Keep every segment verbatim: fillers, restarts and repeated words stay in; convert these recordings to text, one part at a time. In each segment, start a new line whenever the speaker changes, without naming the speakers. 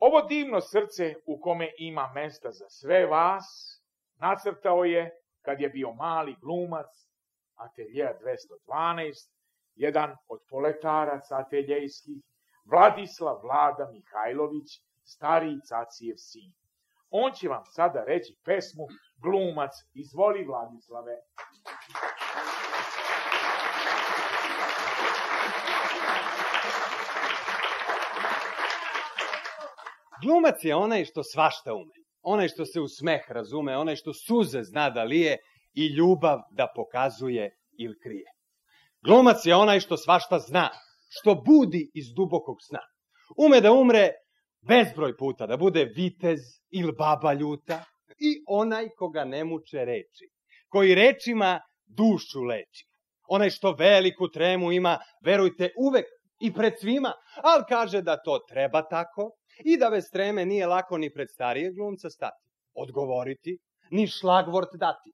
Ovo divno srce u kome ima mesta za sve vas, nacrtao je, kad je bio mali glumac, ateljea dvesta dvanaest, jedan od poletaraca ateljejskih, Vladislav Vlada Mihajlović, stariji cacijev sin. On će vam sada reći pesmu Glumac. Izvoli, Vladislave.
Glumac je onaj što svašta ume, onaj što se u smeh razume, onaj što suze zna da lije i ljubav da pokazuje ili krije. Glumac je onaj što svašta zna, što budi iz dubokog sna. Ume da umre bezbroj puta, da bude vitez ili baba ljuta, i onaj koga ne muče reči, koji rečima dušu leči. Onaj što veliku tremu ima, verujte, uvek i pred svima, ali kaže da to treba tako i da bez treme nije lako ni pred starijeg glumca stati, odgovoriti, ni šlagvort dati.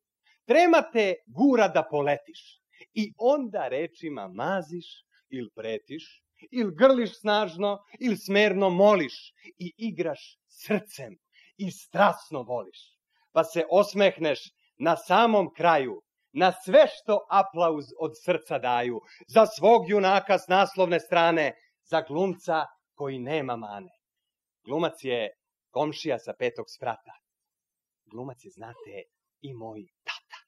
Trema te gura da poletiš i onda rečima maziš ili pretiš, ili grliš snažno, ili smerno moliš i igraš srcem i strasno voliš. Pa se osmehneš na samom kraju, na sve što aplauz od srca daju, za svog junaka s naslovne strane, za glumca koji nema mane. Glumac je komšija sa petog sprata. Glumac je, znate, i moj tata.